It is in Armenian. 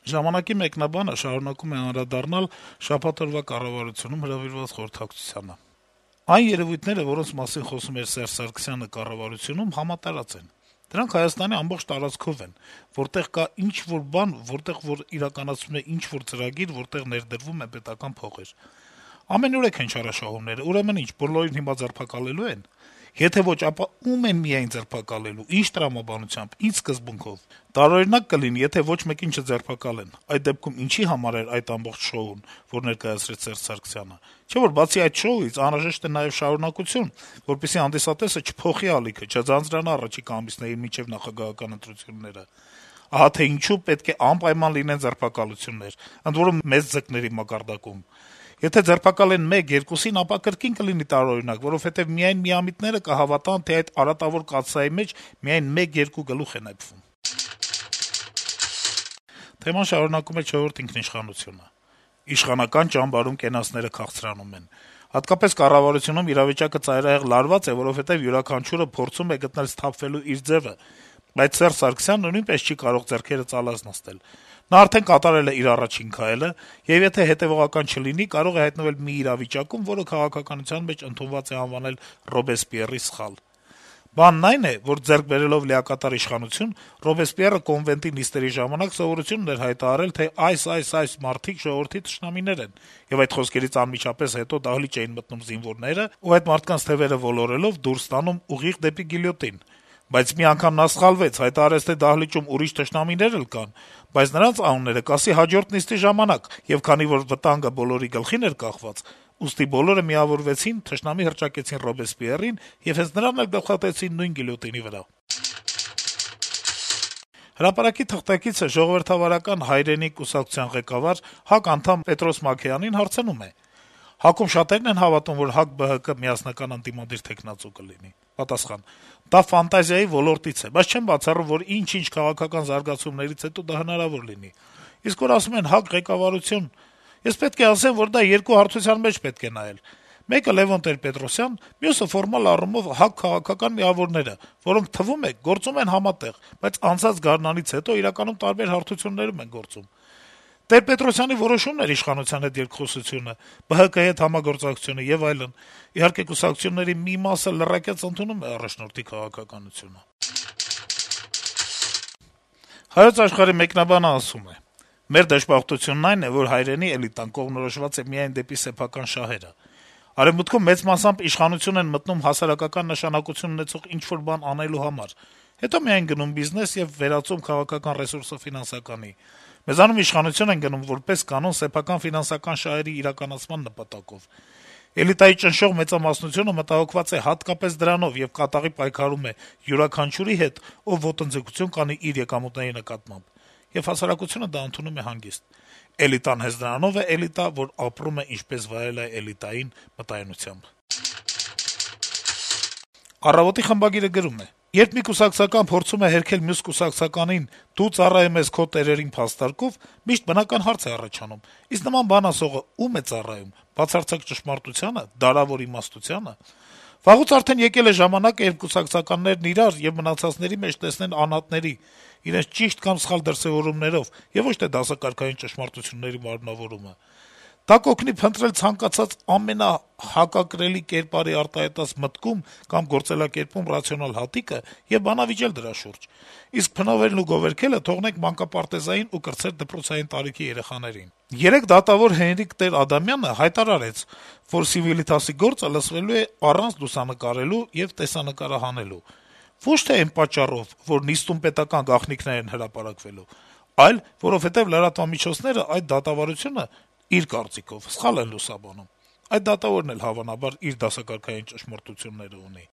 Ժամանակի մեկնաբանը շարունակում է անդրադառնալ շաբաթ օրվա կառավարությունում հրավիրված խորհրդակցությանը. - «Այն երեւույթները, որոնց մասին խոսում էր Սերժ Սարգսյանը կառավարությունում, համատարած են: Դրանք Հայաստանի ամբողջ տարածքով են, որտեղ կա ինչ-որ բան, որտեղ որ իրականացվում է ինչ-որ ծրագիր, որտեղ ներդրվում են պետական փողեր: Ամենուրեք են չարաշահումները, ուրեմն ինչ, բոլորին հիմա ձերբակալելու են: Եթե ոչ, ապա ո՞ւմ են միայն ձերբակալելու, ինչ տրամաբանությամբ, ինչ սկզբունքով: Տարօրինակ կլինի, եթե ոչ մեկին չձերբակալեն: Այդ դեպքում ինչի՞ համար էր այդ ամբողջ շոուն, որ ներկայացրեց Սերժ Սարգսյանը: Չէ՞ որ բացի այդ շոուից անհրաժեշտ է նաեւ շարունակություն, որպեսզի հանդիսատեսը չփոխի ալիքը, չձանձրանա առաջիկա ամիսներին մինչեւ նախագահական ընտրությունները: Ահա թե ինչու պետք է անպայման լինեն ձերբակալություններ, ընդ որում մեծ ձկների մակարդակում: Եթե ձերբակալեն 1-2-ին, ապա կրկին կլինի տարօրինակ, որովհետեւ միայն միամիտները կհավատան, թե այդ արատավոր կաթսայի մեջ միայն 1-2 գլուխ է նեփվում»: Թեման շարունակում է «Չորրորդ ինքնիշխանություն»-ը. - «Իշխանական ճամբարում կենացները քաղցրանում են: Հատկապես կառավարությունում իրավիճակը ծայրահեղ լարված է, որովհետեւ յուրաքանչյուրը փորձում է գտնել սթափվելու իր ձեւը, բայց Սերժ Սարգսյանը նույնպես չի կարող ձեռքերը ծալած նստել: Նա արդեն կատարել է իր առաջին քայլը, եւ եթե հետեւողական չլինի, կարող է հայտնվել մի իրավիճակում, որը քաղաքականության մեջ ընդունված է անվանել «Ռոբեսպիեռի սխալ»: Բանն այն է, որ ձեռք բերելով լիակատար իշխանություն, Ռոբեսպիեռը կոնվենտի նիստերի ժամանակ սովորություն ուներ հայտարարել, թե այս մարդիկ ժողովրդի թշնամիներ են, եւ այդ խոսքերից անմիջապես հետո դահլիճ էին մտնում զինվորները ու այդ մարդկանց թեւերը ոլորելով դուրս տանում ուղիղ դեպի գիլյոտին: Բայց մի անգամ նա սխալվեց, հայտարարեց, թե դահլիճում ուրիշ թշնամիներ էլ կան, բայց նրանց անունները կասի հաջորդ նիստի ժամանակ, եւ քանի որ վտանգը բոլորի գլխին էր կախված, ուստի բոլորը միավորվեցին, թշնամի հռչակեցին Ռոբեսպիեռին եւ հենց նրան էլ գլխատեցին նույն գիլյոտինի վրա»: «Հրապարակ»-ի թղթակիցը Ժողովրդավարական հայրենիք կուսակցության ղեկավար, ՀԱԿ անդամ Պետրոս Մաքեյանին հարցնում է. - «ՀԱԿ-ում շատերն են հավատում, որ ՀԱԿ-ԲՀԿ միասնական ընդդիմադիր թեկնածու կլինի»: Պատասխան. - «Դա ֆանտազիայի ոլորտից է, բայց չեմ բացառում, որ ինչ-ինչ քաղաքական զարգացումներից հետո դա հնարավոր լինի: Իսկ որ ասում են ՀԱԿ ղեկավարություն, ես պետք է ասեմ, որ դա երկու հարթության մեջ պետք է նայել: Մեկը Լեւոն Տեր-Պետրոսյան, մյուսը ֆորմալ առումով ՀԱԿ քաղաքական միավորները, որոնք, թվում է, գործում են համատեղ, բայց անցած գարնանից հետո իրականում տարբեր հարթություններում են գործում: Տեր-Պետրոսյանի որոշումն էր իշխանության հետ երկխոսությունը, ԲՀԿ-ի հետ համագործակցությունը եւ այլն: Իհարկե, կուսակցությունների մի մասը լրակյաց ընդունում է առաջնորդի քաղաքականությունը»: «Հայոց Աշխարհ»-ի մեկնաբանը ասում է. - «Մեր դժբախտությունն այն է, որ հայրենի էլիտան կողմնորոշված է միայն դեպի սեփական շահերը: Արեւմուտքում մեծ մասամբ իշխանություն են մտնում հասարակական նշանակություն ունեցող ինչ-որ բան անելու համար, հետո միայն գնում բիզնես եւ վերածում քաղաքական ռեսուրսը ֆինանսականի: Մեզանում իշխանություն են գնում որպես կանոն սեփական ֆինանսական շահերի իրականացման նպատակով: Էլիտայի ճնշող մեծամասնությունը մտահոգված է հատկապես դրանով եւ կատաղի պայքարում է յուրաքանչյուրի հետ, ով ոտնձգություն կանի իր եկամուտների նկատմամբ: Եվ հասարակությունը դա ընդունում է հանգիստ: Էլիտան հենց նրանով է էլիտա, որ ապրում է ինչպես վայել է էլիտային մտայնությամբ»: «Առավոտ»-ի խմբագիրը գրում է. - «Երբ մի կուսակցական փորձում է հերքել մյուս կուսակցականին «դու ծառայում ես քո տերերին» փաստարկով, միշտ բնական հարց է առաջանում. իսկ նման բան ասողը ո՞ւմ է ծառայում՝ բացարձակ ճշմարտությա՞նը, դարավոր իմաստությա՞նը: Վաղուց արդեն եկել է ժամանակը, երբ կուսակցականներն իրար եւ մնացածների մեջ տեսնեն անհատների՝ իրենց ճիշտ կամ սխալ դրսեւորումներով, եւ ոչ թե դասակարգային ճշմարտությունների մարմնավորումը: Դա կօգնի փնտրել ցանկացած ամենահակակրելի կերպարի արտահայտած մտքում կամ գործելակերպում ռացիոնալ հատիկը եւ բանավիճել դրա շուրջ: Իսկ փնովելն ու գովերգելը թողնենք մանկապարտեզային ու կրտսեր դպրոցային տարիքի երեխաներին: Երեկ դատավոր Հենրիկ Տեր-Ադամյանը հայտարարեց, որ Սիվիլիտասի գործը լսվելու է առանց լուսանկարելու եւ տեսանկարահանելու: Ոչ թե այն պատճառով, որ նիստում պետական գաղտնիքներ են հրապարակվելու, այլ որովհետեւ լրատվամիջոցները այդ դատավարությունը, իր կարծիքով, սխալ են լուսաբանում: Այդ դատավորն էլ, հավանաբար, իր դասակարգային ճշմարտությունները ունի»: